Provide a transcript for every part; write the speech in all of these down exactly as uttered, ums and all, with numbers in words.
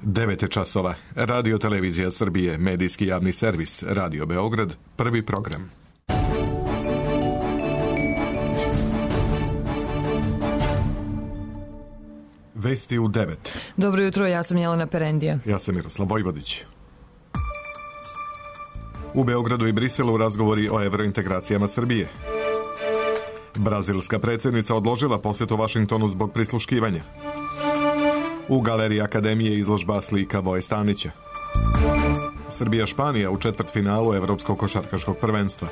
devet je časova. Radio Televizija Srbije, medijski javni servis, Radio Beograd, prvi program. Vesti u devet. Dobro jutro, ja sam Jelena Perendija. Ja sam Miroslav Vojvodić. U Beogradu i Briselu razgovori o evrointegracijama Srbije. Brazilska predsjednica odložila posjet u Vašingtonu zbog prisluškivanja. U Galeriji Akademije izložba slika Voje Stanića. Srbija-Španija u četvrtfinalu Evropskog košarkaškog prvenstva.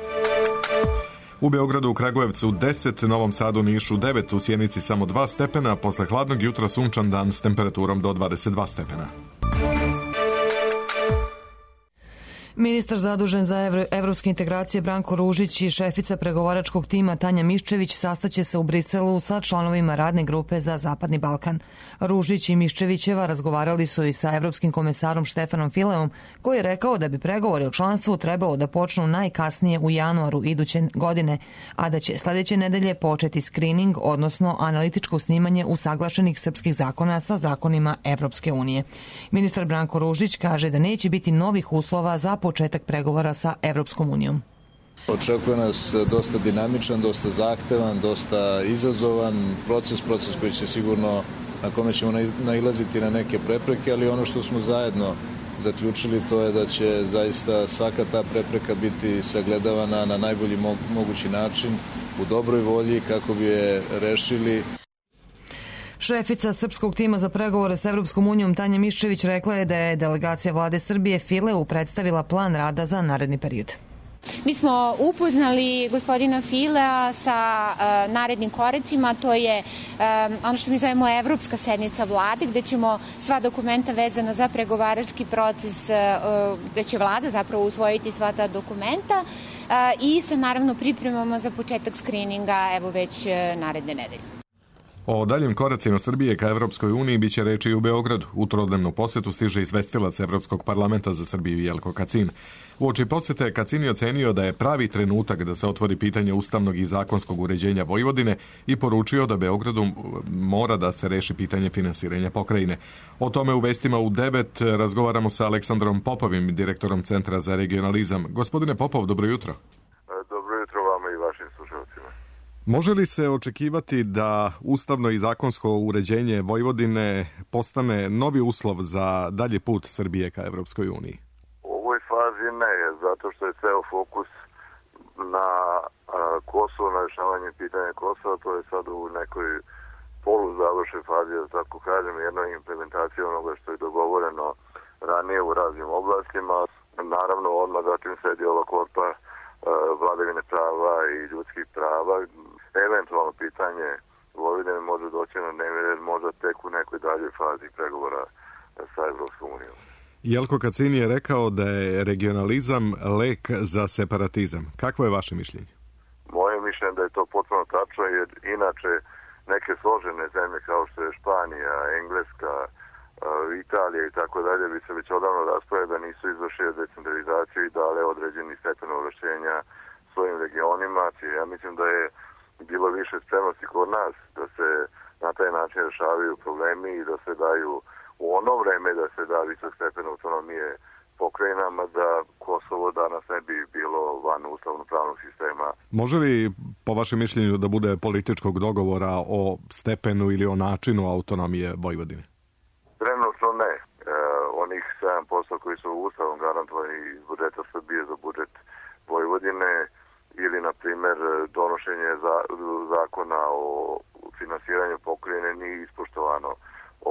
U Beogradu, u Kragujevcu deset, Novom Sadu, Nišu devet, u Sjenici samo dva stepena, posle hladnog jutra sunčan dan s temperaturom do dvadeset dva stepena. Ministar zadužen za evro, evropske integracije Branko Ružić i šefica pregovaračkog tima Tanja Miščević sastaće se u Briselu sa članovima radne grupe za Zapadni Balkan. Ružić i Miščevićeva razgovarali su i sa evropskim komesarom Štefanom Fileom, koji je rekao da bi pregovori o članstvu trebalo da počnu najkasnije u januaru iduće godine, a da će sljedeće nedelje početi screening, odnosno analitičko snimanje usaglašenih srpskih zakona sa zakonima Evropske unije. Ministar Branko Ružić kaže da neće biti novih uslova za početak pregovora sa Evropskom unijom. Očekuje nas dosta dinamičan, dosta zahtevan, dosta izazovan proces, proces koji će sigurno, na kome ćemo nailaziti na neke prepreke, ali ono što smo zajedno zaključili to je da će zaista svaka ta prepreka biti sagledavana na najbolji mogući način, u dobroj volji kako bi je rešili. Šefica srpskog tima za pregovore s Evropskom unijom Tanja Miščević rekla je da je delegacija vlade Srbije Fileu predstavila plan rada za naredni period. Mi smo upoznali gospodina Filea sa uh, narednim koracima, to je um, ono što mi zovemo Evropska sednica vlade, gde ćemo sva dokumenta vezana za pregovarački proces, uh, gde će vlada zapravo usvojiti sva ta dokumenta uh, i sa naravno pripremama za početak skrininga evo već uh, naredne nedelje. O daljim koracima Srbije ka Evropskoj uniji biće reči i u Beogradu. U trodnevnu posjetu stiže izvestilac Evropskog parlamenta za Srbiju Jelko Kacin. Uoči posjete Kacin je ocenio da je pravi trenutak da se otvori pitanje ustavnog i zakonskog uređenja Vojvodine i poručio da Beogradu mora da se reši pitanje finansiranja pokrajine. O tome u vestima u devet razgovaramo sa Aleksandrom Popovim, direktorom Centra za regionalizam. Gospodine Popov, dobro jutro. Dobro jutro vama i vašim slušalcima. Može li se očekivati da ustavno i zakonsko uređenje Vojvodine postane novi uslov za dalji put Srbije ka Evropskoj uniji? U ovoj fazi ne, zato što je ceo fokus na Kosovo, na rešavanje pitanja Kosova, to je sad u nekoj poluzavršoj fazi, da tako kažem, jednoj implementaciji onoga što je dogovoreno ranije u raznim oblastima. Naravno, odmah zatim sledi ova korpa vladavine prava i ljudskih prava. Eventualno pitanje Vojvodine može doći na dnevni red možda tek u nekoj daljoj fazi pregovora sa Evropskom unijom. Jelko Kacin je rekao da je regionalizam lek za separatizam. Kakvo je vaše mišljenje? Moje mišljenje da je to potpuno tačno, jer inače neke složene zemlje kao što je Španija, Engleska, Italija i tako dalje bi se već odavno raspravili da nisu izvršili decentralizaciju i dale određeni stepen ovlašćenja svojim regionima. Ja mislim da je bilo više spremnosti kod nas da se na taj način rešavaju problemi i da se daju u ono vreme da se da visok stepen autonomije pokrajinama, da Kosovo danas ne bi bilo van ustavno-pravnog sistema. Može li po vašem mišljenju da bude političkog dogovora o stepenu ili o načinu autonomije Vojvodine? Trenutno ne. E, onih sedam posto koji su ustavom garantovani iz budžeta Srbije za budžet Vojvodine ili, na primjer, donošenje za, zakona o finansiranju pokrajine nije ispoštovano.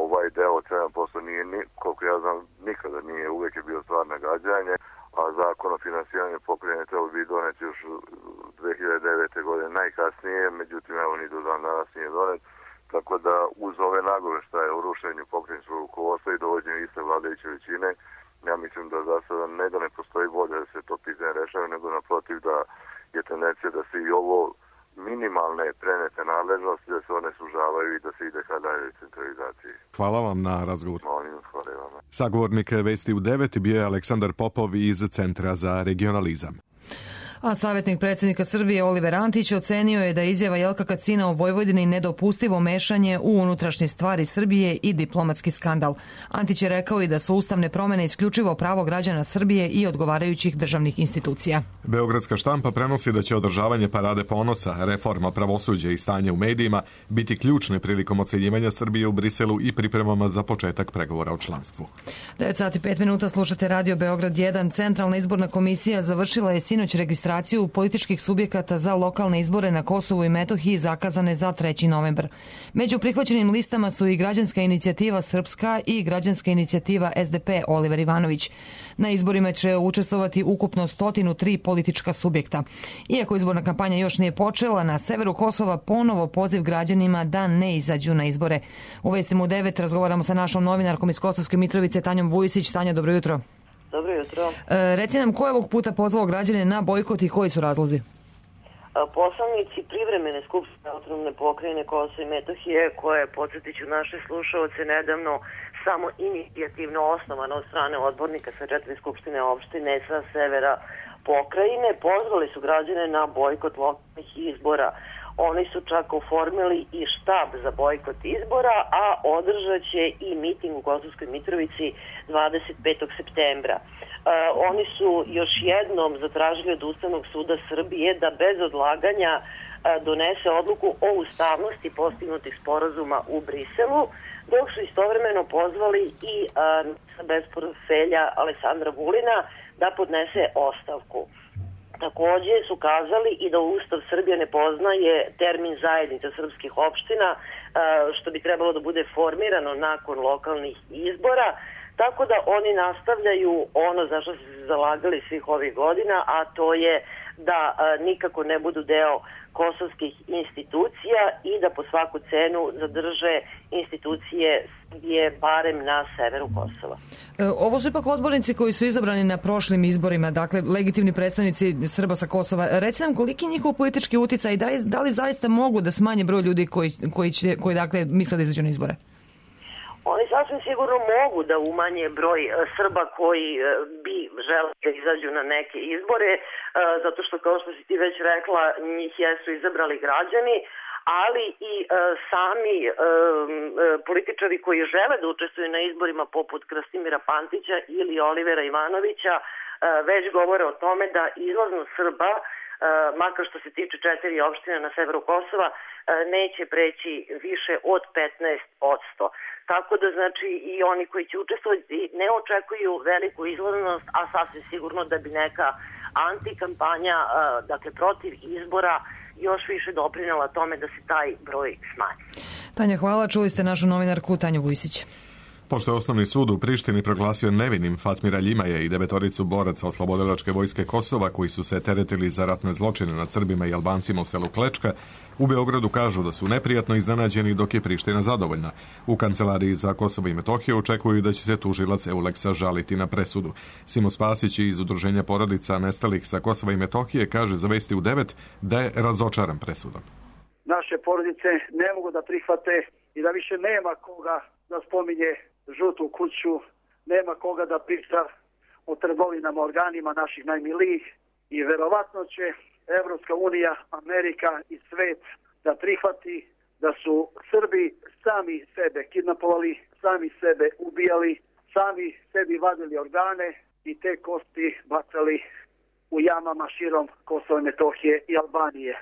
Ovaj deo od sedam posto nije, ni, koliko ja znam, nikada nije, uvijek je bio stvar nagađanje, a zakon o finansiranju pokrajine trebao bi doneti još dve hiljade devete. godine najkasnije, međutim, evo ni do dan danas nije donet. Tako da uz ove nagoveštaje o rušenju pokrajinskog rukovodstva i dovođenju iste vladajuće većine, ja mislim da za sada ne da ne postoji volja da se to pitanje rešava, nego naprotiv da je tendencija da se i ovo minimalne prenete nadležnosti, da se one sužavaju i da se ide ka daljoj centralizaciji. Hvala vam na razgovor. Molim, hvala vam. Sagovornik Vesti u devet bio je Aleksandar Popov iz Centra za regionalizam. A savjetnik predsjednika Srbije Oliver Antić ocenio je da je izjava Jelka Kacina o Vojvodini nedopustivo mešanje u unutrašnje stvari Srbije i diplomatski skandal. Antić je rekao i da su ustavne promjene isključivo pravo građana Srbije i odgovarajućih državnih institucija. Beogradska štampa prenosi da će održavanje parade ponosa, reforma pravosuđa i stanje u medijima biti ključne prilikom ocenjivanja Srbije u Briselu i pripremama za početak pregovora o članstvu. devet sati pet minuta slušate Radio Beograd jedan. Centralna izborna komisija završila je sinoć registraciju političkih subjekata za lokalne izbore na Kosovu i Metohiji zakazane za treći novembar. Među prihvaćenim listama su i Građanska inicijativa Srpska i Građanska inicijativa S D P Oliver Ivanović. Na izborima će učestvovati ukupno sto tri politička subjekta. Iako izborna kampanja još nije počela, na severu Kosova ponovo poziv građanima da ne izađu na izbore. U Vestima u devet razgovaramo sa našom novinarkom iz Kosovske Mitrovice, Tanjom Vujisić. Tanja, dobro jutro. Dobro jutro. E, reci nam, ko je ovog puta pozvao građane na bojkot i koji su razlozi? Poslanici privremene skupštine autonomne pokrajine Kosova i Metohije, koje, podsjetiću naše slušaoce, nedavno samo inicijativno osnovano od strane odbornika sa četiri skupštine opštine sa severa pokrajine, pozvali su građane na bojkot lokalnih izbora. Oni su čak oformili i štab za bojkot izbora, a održat će i miting u Kosovskoj Mitrovici dvadeset petog septembra. E, oni su još jednom zatražili od Ustavnog suda Srbije da bez odlaganja e, donese odluku o ustavnosti postignutih sporazuma u Briselu, dok su istovremeno pozvali i e, bez portfelja Aleksandra Vulina da podnese ostavku. Takođe su kazali i da Ustav Srbije ne poznaje termin zajednica srpskih opština, što bi trebalo da bude formirano nakon lokalnih izbora, tako da oni nastavljaju ono za što su se zalagali svih ovih godina, a to je da nikako ne budu deo kosovskih institucija i da po svaku cenu zadrže institucije Srbije barem na severu Kosova. E, ovo su ipak odbornici koji su izabrani na prošlim izborima, dakle legitimni predstavnici Srba sa Kosova. Reci nam koliki je njihov politički uticaj i da, da li zaista mogu da smanje broj ljudi koji, koji, će, koji dakle, misle da izađu na izbore? Oni sasvim sigurno mogu da umanje broj Srba koji bi želeli da izađu na neke izbore, zato što, kao što si ti već rekla, njih jesu izabrali građani, ali i sami političari koji žele da učestvuju na izborima poput Krastimira Pantića ili Olivera Ivanovića već govore o tome da izlaznost Srba, makar što se tiče četiri opštine na severu Kosova, neće preći više od petnaest posto. Tako da, znači, i oni koji će učestvovati ne očekuju veliku izlaznost, a sasvim sigurno da bi neka antikampanja, dakle protiv izbora, još više doprinela tome da se taj broj smanji. Tanja, hvala. Čuli ste našu novinarku Tanju Vujisić. Pošto je Osnovni sud u Prištini proglasio nevinim Fatmira Ljimaja i devetoricu boraca oslobodilačke vojske Kosova koji su se teretili za ratne zločine nad Srbima i Albancima u selu Klečka, u Beogradu kažu da su neprijatno iznenađeni dok je Priština zadovoljna. U kancelariji za Kosovo i Metohiju očekuju da će se tužilac Euleksa žaliti na presudu. Simo Spasić iz Udruženja porodica nestalih sa Kosova i Metohije kaže za Vesti u devet da je razočaran presudom. Naše porodice ne mogu da prihvate i da više nema koga da spominje žutu kuću, nema koga da priča o trgovinama organima naših najmilijih i verovatno će Evropska unija, Amerika i svet da prihvati da su Srbi sami sebe kidnapovali, sami sebe ubijali, sami sebi vadili organe i te kosti bacali u jamama širom Kosova i Metohije i Albanije.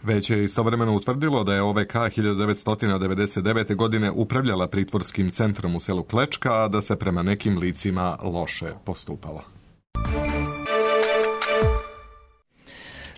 Već je istovremeno utvrdilo da je O V K hiljadu devetsto devedeset devete. godine upravljala pritvorskim centrom u selu Klečka, a da se prema nekim licima loše postupalo.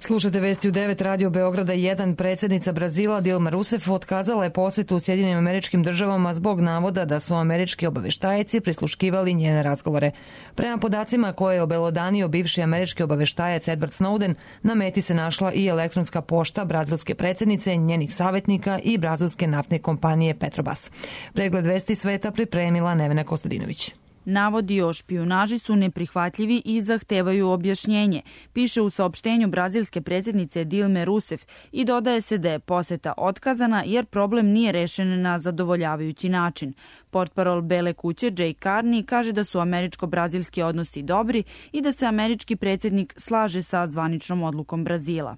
Slušajte Vesti u devet, Radio Beograda jedan. Predsjednica Brazila Dilma Rousseff otkazala je posjetu u Sjedinjenim Američkim Državama zbog navoda da su američki obaveštajci prisluškivali njene razgovore. Prema podacima koje je obelodanio bivši američki obaveštajac Edward Snowden, na meti se našla i elektronska pošta brazilske predsjednice, njenih savjetnika i brazilske naftne kompanije Petrobras. Pregled Vesti sveta pripremila Nevena Kostadinović. Navodi o špijunaži su neprihvatljivi i zahtevaju objašnjenje, piše u saopštenju brazilske predsjednice Dilme Rousseff i dodaje se da je poseta otkazana jer problem nije rešen na zadovoljavajući način. Portparol Bele kuće Jay Carney kaže da su američko-brazilski odnosi dobri i da se američki predsjednik slaže sa zvaničnom odlukom Brazila.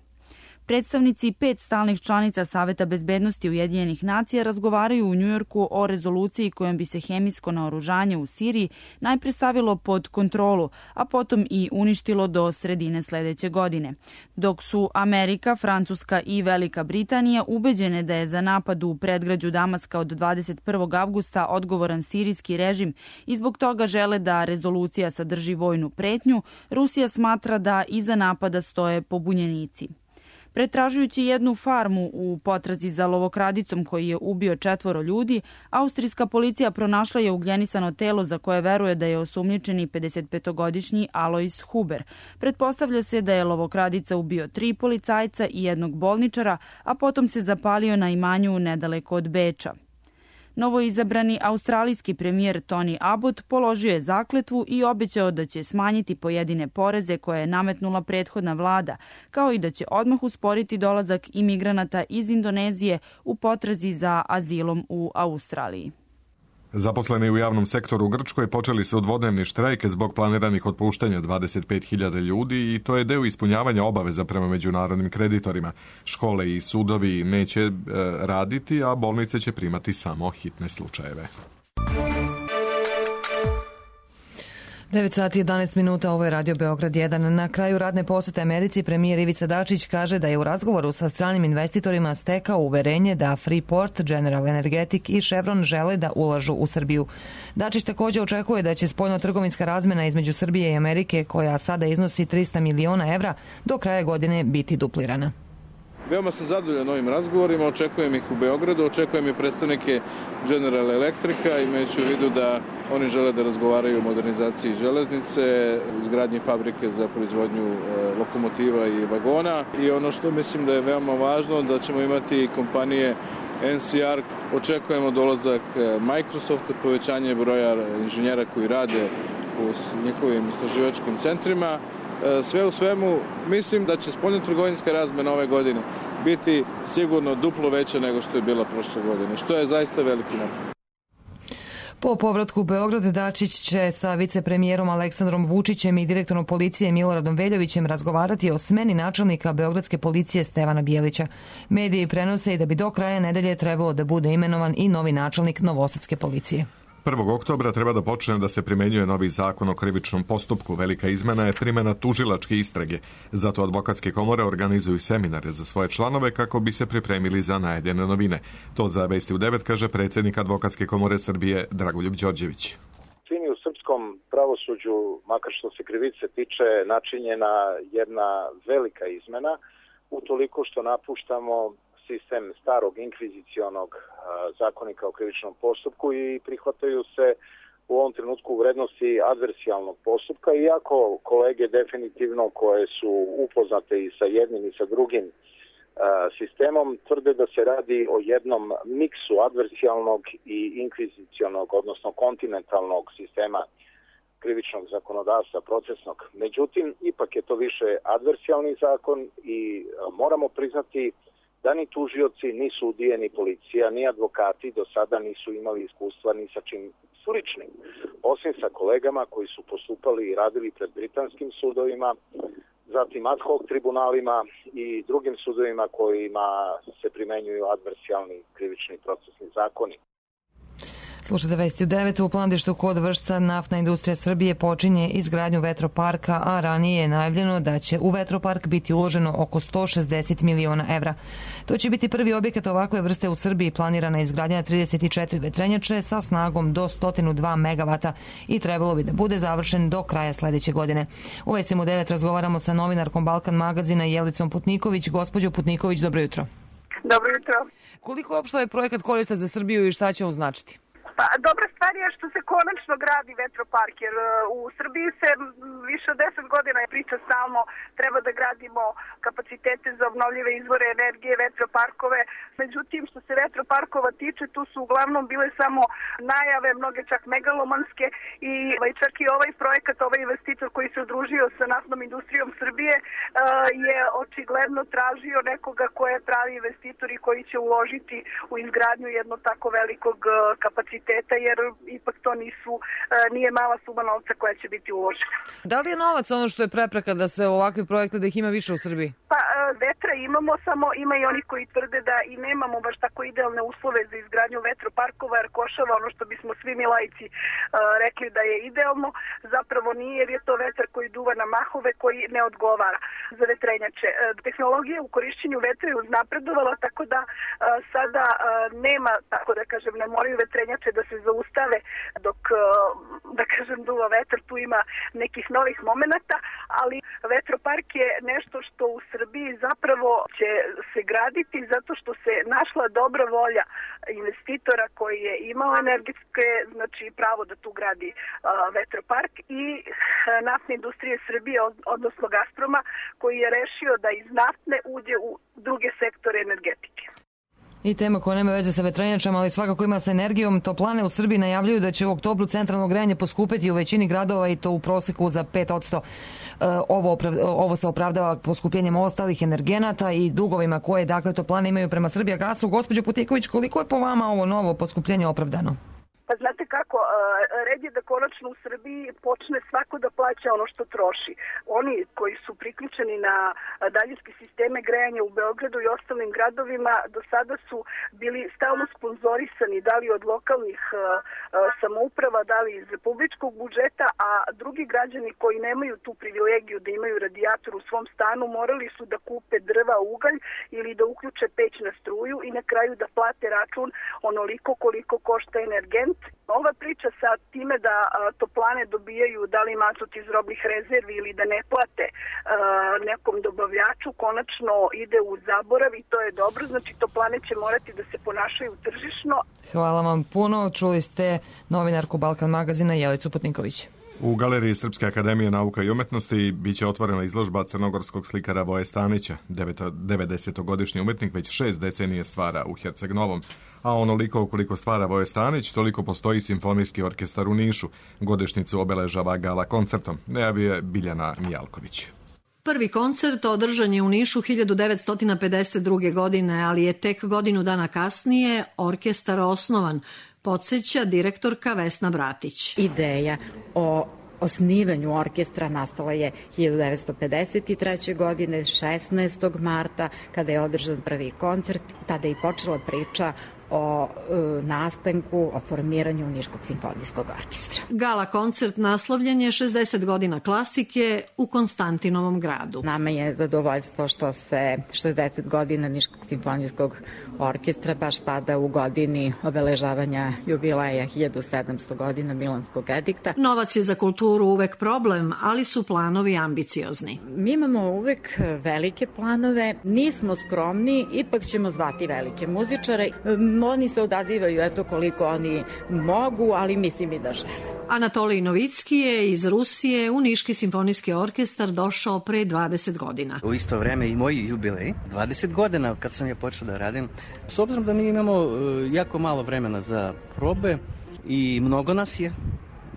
Predstavnici pet stalnih članica Saveta bezbednosti Ujedinjenih nacija razgovaraju u Njujorku o rezoluciji kojom bi se hemijsko naoružanje u Siriji najpre stavilo pod kontrolu, a potom i uništilo do sredine sledeće godine. Dok su Amerika, Francuska i Velika Britanija ubeđene da je za napad u predgrađu Damaska od dvadeset prvog avgusta odgovoran sirijski režim i zbog toga žele da rezolucija sadrži vojnu pretnju, Rusija smatra da iza napada stoje pobunjenici. Pretražujući jednu farmu u potrazi za lovokradicom koji je ubio četvoro ljudi, austrijska policija pronašla je ugljenisano telo za koje veruje da je osumnjičeni pedesetpetogodišnji Alois Huber. Pretpostavlja se da je lovokradica ubio tri policajca i jednog bolničara, a potom se zapalio na imanju nedaleko od Beča. Novoizabrani australijski premijer Tony Abbott položio je zakletvu i obećao da će smanjiti pojedine poreze koje je nametnula prethodna vlada, kao i da će odmah usporiti dolazak imigranata iz Indonezije u potrazi za azilom u Australiji. Zaposleni u javnom sektoru u Grčkoj počeli su dvodnevni štrajk zbog planiranih otpuštanja dvadeset pet hiljada ljudi i to je deo ispunjavanja obaveza prema međunarodnim kreditorima. Škole i sudovi neće e, raditi, a bolnice će primati samo hitne slučajeve. devet sati i jedanaest minuta, ovo je Radio Beograd jedan. Na kraju radne posete Americi premijer Ivica Dačić kaže da je u razgovoru sa stranim investitorima stekao uverenje da Freeport, General Energetic i Chevron žele da ulažu u Srbiju. Dačić također očekuje da će spoljno-trgovinska razmena između Srbije i Amerike, koja sada iznosi trista miliona evra, do kraja godine biti duplirana. Veoma sam zadovoljan ovim razgovorima, očekujem ih u Beogradu, očekujem i predstavnike General Electrica, imajući u vidu da oni žele da razgovaraju o modernizaciji železnice, izgradnji fabrike za proizvodnju lokomotiva i vagona. I ono što mislim da je veoma važno, da ćemo imati kompanije N C R, očekujemo dolazak Microsofta, povećanje broja inženjera koji rade u njihovim istraživačkim centrima. Sve u svemu, mislim da će spoljno-trgovinska razmena ove godine biti sigurno duplo veća nego što je bila prošle godine, što je zaista veliki napor. Po povratku u Beograd, Dačić će sa vicepremijerom Aleksandrom Vučićem i direktorom policije Miloradom Veljovićem razgovarati o smeni načelnika beogradske policije Stevana Bijelića. Mediji prenose i da bi do kraja nedelje trebalo da bude imenovan i novi načelnik novosadske policije. prvog oktobra treba da počne da se primenjuje novi zakon o krivičnom postupku. Velika izmena je primjena tužilačke istrage. Zato advokatske komore organizuju seminare za svoje članove kako bi se pripremili za najavljene novine. To za Vesti u devet kaže predsjednik Advokatske komore Srbije Dragoljub Đorđević. Čini u srpskom pravosuđu, makar što se krivice tiče, načinjena jedna velika izmena, utoliko što napuštamo sistem starog inkvizicionog zakonika o krivičnom postupku i prihvataju se u ovom trenutku vrednosti adversijalnog postupka, iako kolege definitivno koje su upoznate i sa jednim i sa drugim sistemom tvrde da se radi o jednom miksu adversijalnog i inkvizicionog, odnosno kontinentalnog sistema krivičnog zakonodavstva procesnog. Međutim, ipak je to više adversijalni zakon i moramo priznati da ni tužioci, ni sudije, ni policija, ni advokati do sada nisu imali iskustva ni sa čim sličnim. Osim sa kolegama koji su postupali i radili pred britanskim sudovima, zatim ad hoc tribunalima i drugim sudovima kojima se primenjuju adversijalni krivični procesni zakoni. Slušajte Vesti u devet. U Plandištu kod Vršca Naftna industrija Srbije počinje izgradnju vetroparka, a ranije je najavljeno da će u vetropark biti uloženo oko sto šezdeset miliona evra. To će biti prvi objekat ovakve vrste u Srbiji. Planirana je izgradnja trideset četiri vetrenjače sa snagom do sto dva megavata i trebalo bi da bude završen do kraja sledeće godine. U Vestima u devet razgovaramo sa novinarkom Balkan magazina Jelicom Putniković. Gospođo Putniković, dobro jutro. Dobro jutro. Koliko uopšte ovaj projekat korista za Srbiju i šta će on značiti? Pa, dobra stvar je što se konačno gradi vetropark, jer u Srbiji se više od deset godina je priča stalno treba da gradimo kapacitete za obnovljive izvore energije, vetroparkove. Međutim, što se vetroparkova tiče, tu su uglavnom bile samo najave, mnoge čak megalomanske i čak i ovaj projekat, ovaj investitor koji se udružio sa naftnom industrijom Srbije je očigledno tražio nekoga ko je pravi investitor i koji će uložiti u izgradnju jednog tako velikog kapaciteta, jer ipak to nisu, nije mala suma novca koja će biti uložena. Da li je novac ono što je prepreka da se ovakvi projekte, da ih ima više u Srbiji? Pa vetra imamo, samo ima i oni koji tvrde da i nemamo baš tako idealne uslove za izgradnju vetroparkova, jer košava ono što bismo svi mi laici rekli da je idealno, zapravo nije, jer je to vetar koji duva na mahove koji ne odgovara za vetrenjače. Tehnologija u korišćenju vetra je uznapredovala, tako da sada nema, tako da kažem, ne moraju vetrenjače da se zaustave dok, da kažem, duva vetar, tu ima nekih novih momenata, ali vetropark je nešto što u Srbiji zapravo će se graditi zato što se našla dobra volja investitora koji je imao energetske, znači pravo da tu gradi uh, vetropark i uh, naftne industrije Srbije, odnosno Gazproma, koji je rešio da iz naftne uđe u druge sektore energetike. I tema koja nema veze sa vetrenjačama, ali svakako ima sa energijom. Toplane u Srbiji najavljuju da će u oktobru centralno grejanje poskupeti u većini gradova i to u proseku za pet posto. Ovo, ovo se opravdava poskupljenjem ostalih energenata i dugovima koje, dakle, toplane imaju prema Srbijagasu. Gospođo Putiković, koliko je po vama ovo novo poskupljenje opravdano? Pa znate kako, red je da konačno u Srbiji počne svako da plaća ono što troši. Oni koji su priključeni na daljinske sisteme grejanja u Beogradu i ostalim gradovima do sada su bili stalno sponzorisani, da li od lokalnih samouprava, da li iz republičkog budžeta, a drugi građani koji nemaju tu privilegiju da imaju radijator u svom stanu morali su da kupe drva, ugalj ili da uključe peć na struju i na kraju da plate račun onoliko koliko košta energent. Ova priča sa time da a, toplane dobijaju da li mazut iz robnih rezervi ili da ne plate a, nekom dobavljaču konačno ide u zaborav i to je dobro, znači toplane će morati da se ponašaju tržišno. Hvala vam puno, čuli ste novinarku Balkan magazina Jelicu Putniković. U Galeriji Srpske akademije nauka i umetnosti biće otvorena izložba crnogorskog slikara Voje Stanića. devedesetogodišnji umetnik već šest decenije stvara u Herceg Novom. A onoliko koliko stvara Voje Stanić, toliko postoji simfonijski orkestar u Nišu. Godišnjicu obeležava gala koncertom. Najavio je Biljana Mijalković. Prvi koncert održan je u Nišu hiljadu devetsto pedeset druge. godine, ali je tek godinu dana kasnije orkestar osnovan, podsjeća direktorka Vesna Bratić. Ideja o osnivanju orkestra nastala je hiljadu devetsto pedeset treće. godine, šesnaestog marta, kada je održan prvi koncert. Tada je i počela priča o e, nastanku, o formiranju Niškog simfonijskog orkestra. Gala koncert naslovljen je šezdeset godina klasike u Konstantinovom gradu. Nama je zadovoljstvo što se šezdeset godina Niškog simfonijskog orkestra baš pada u godini obeležavanja jubileja hiljadu sedamsto godina Milanskog edikta. Novac je za kulturu uvek problem, ali su planovi ambiciozni. Mi imamo uvek velike planove, nismo skromni, ipak ćemo zvati velike muzičare. Oni se odazivaju, eto koliko oni mogu, ali mislim i da žele. Anatolij Novicki je iz Rusije u Niški simfonijski orkestar došao pre dvadeset godina. U isto vreme i moj jubilej, dvadeset godina kad sam ja počeo da radim. S obzirom da mi imamo jako malo vremena za probe i mnogo nas je,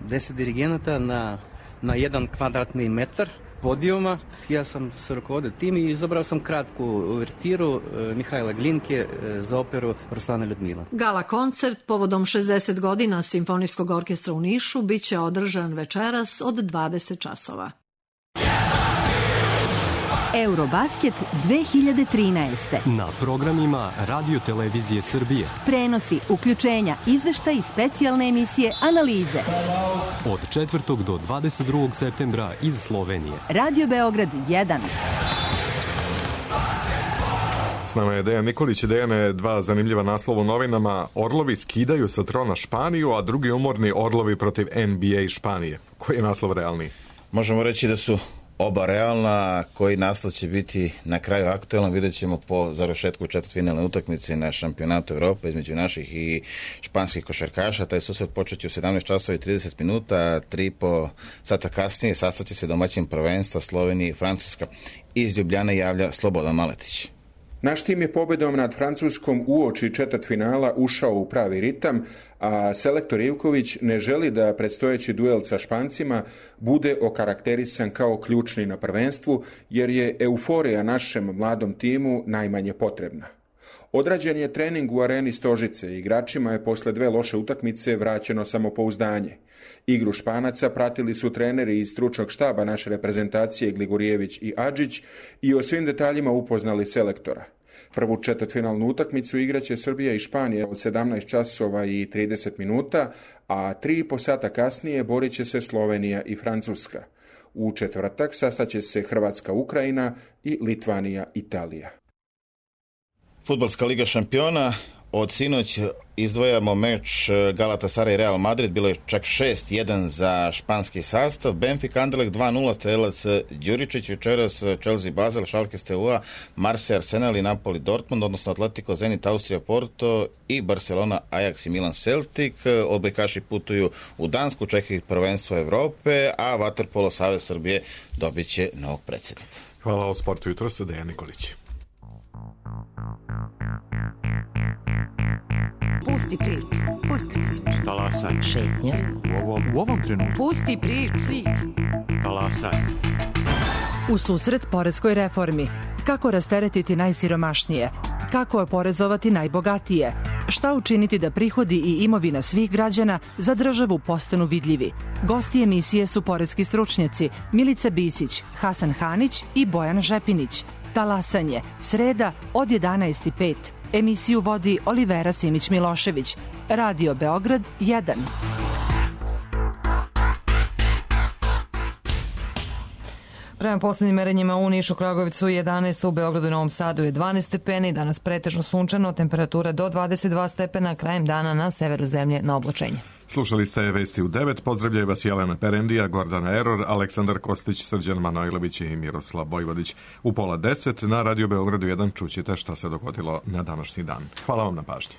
deset dirigenata na, na jedan kvadratni metar podijuma. Ja sam se rukovodio tim i izabrao sam kratku uvertiru Mihajla Glinke za operu Ruslana Ljudmila. Gala koncert povodom šezdeset godina Simfonijskog orkestra u Nišu biće održan večeras od dvadeset časova. Eurobasket dve hiljade trinaeste. Na programima Radio Televizije Srbije. Prenosi, uključenja, izveštaj i specijalne emisije, analize. Od četvrtog do dvadeset drugog septembra iz Slovenije. Radio Beograd jedan. S nama je Dejan Nikolić. Dejane, dva zanimljiva naslova u novinama. Orlovi skidaju sa trona Španiju, a drugi umorni Orlovi protiv N B A Španije. Koji je naslov realniji? Možemo reći da su oba realna. Koji naslov će biti na kraju aktuelno, vidjet ćemo po završetku četvrtfinalne utakmice na šampionatu Evrope između naših i španskih košarkaša. Taj susret počeće u sedamnaest časova i trideset minuta, tri i po sata kasnije sastaće se domaćin prvenstva Slovenija i Francuska. Iz Ljubljane javlja Slobodan Maletić. Naš tim je pobedom nad Francuskom uoči četvrtfinala ušao u pravi ritam, a selektor Ivković ne želi da predstojeći duel sa Špancima bude okarakterisan kao ključni na prvenstvu, jer je euforija našem mladom timu najmanje potrebna. Odrađen je trening u areni Stožice, igračima je posle dve loše utakmice vraćeno samopouzdanje. Igru Španaca pratili su treneri iz stručnog štaba naše reprezentacije Gligorijević i Adžić i o svim detaljima upoznali selektora. Prvu četvrtfinalnu utakmicu igraće Srbija i Španija od sedamnaest časova i trideset minuta, a tri i po sata kasnije borit će se Slovenija i Francuska. U četvrtak sastaće se Hrvatska, Ukrajina i Litvanija, Italija. Fudbalska liga šampiona. Od sinoć izdvojamo meč Galatasaray Real Madrid, bilo je čak šest jedan za španski sastav. Benfica Anderlecht dva nula, strelac Đuričić, večeras Chelsea Basel, Schalke Steaua, Marseille Arsenal i Napoli Dortmund, odnosno Atletico Zenit Austrija Porto i Barcelona Ajax i Milan Celtic. Odbojkaši putuju u Dansku, čekaju prvenstvo Evrope, a Vaterpolo Savez Srbije dobit će novog predsjednika. Hvala o sportu jutro sa Dejan Nikolić. Pusti priču, pusti priču. Talasaj. Šetnja. U ovom, u ovom trenutku. Pusti priču. Talasaj. U susret poreskoj reformi. Kako rasteretiti najsiromašnije? Kako oporezovati najbogatije? Šta učiniti da prihodi i imovina svih građana za državu postanu vidljivi? Gosti emisije su poreski stručnjaci Milica Bisić, Hasan Hanić i Bojan Žepinić. Talasanje, sreda od jedanaest i pet. Emisiju vodi Olivera Simić-Milošević. Radio Beograd jedan. Prema poslednjim merenjima u Nišu, Kragovicu jedanaest, u Beogradu i Novom Sadu je dvanaest stepeni, danas pretežno sunčano, temperatura do dvadeset dva stepena, krajem dana na severu zemlje na oblačenje. Slušali ste vesti u devet, pozdravljaju vas Jelena Perendija, Gordana Eror, Aleksandar Kostić, Srđan Manojlović i Miroslav Vojvodić. U pola deset na Radio Beogradu jedan čućete šta se dogodilo na današnji dan. Hvala vam na pažnji.